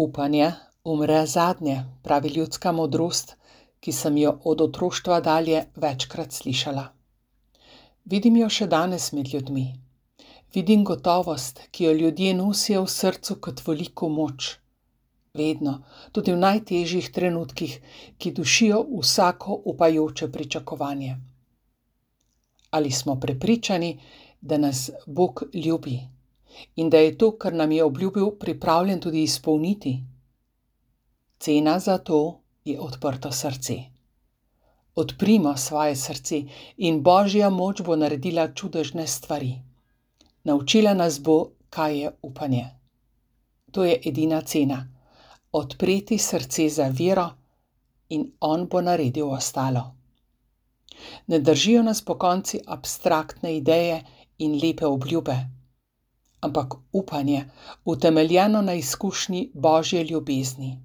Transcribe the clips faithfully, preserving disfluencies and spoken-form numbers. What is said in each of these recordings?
Upanje umre zadnje, pravi ljudska modrost, ki sem jo od otroštva dalje večkrat slišala. Vidim jo še danes med ljudmi. Vidim gotovost, ki jo ljudje nosijo v srcu kot veliko moč. Vedno, tudi v najtežjih trenutkih, ki dušijo vsako upajoče pričakovanje. Ali smo prepričani, da nas Bog ljubi in da je to, kar nam je obljubil, pripravljen tudi izpolniti? Cena za to je odprto srce. Odprimo svoje srce in Božja moč bo naredila čudežne stvari. Naučila nas bo, kaj je upanje. To je edina cena. Odpreti srce za vero in On bo naredil ostalo. Ne držijo nas pokonci abstraktne ideje in lepe obljube, ampak upanje, utemeljeno na izkušnji Božje ljubezni.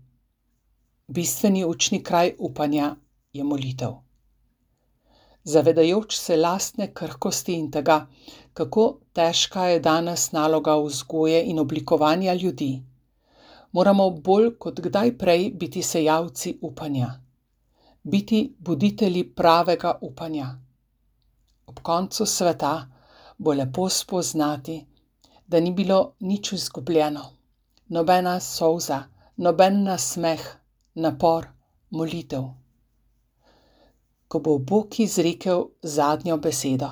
Bistveni učni kraj upanja je molitev. Zavedajoč se lastne krhkosti in tega, kako težka je danes naloga vzgoje in oblikovanja ljudi, moramo bolj kot kdaj prej biti sejalci upanja, biti buditelji pravega upanja. Ob koncu sveta bo lepo spoznati, da ni bilo nič izgubljeno, nobena solza, noben nasmeh, napor, molitev. Ko bo Bog izrekel zadnjo besedo,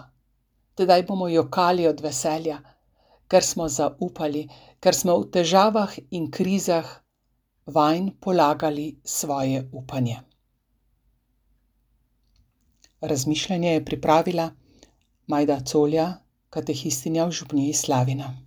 tedaj bomo jokali od veselja, ker smo zaupali, ker smo v težavah in krizah vanj polagali svoje upanje. Razmišljanje je pripravila Majda Colja, katehistinja v Župniji Slavina.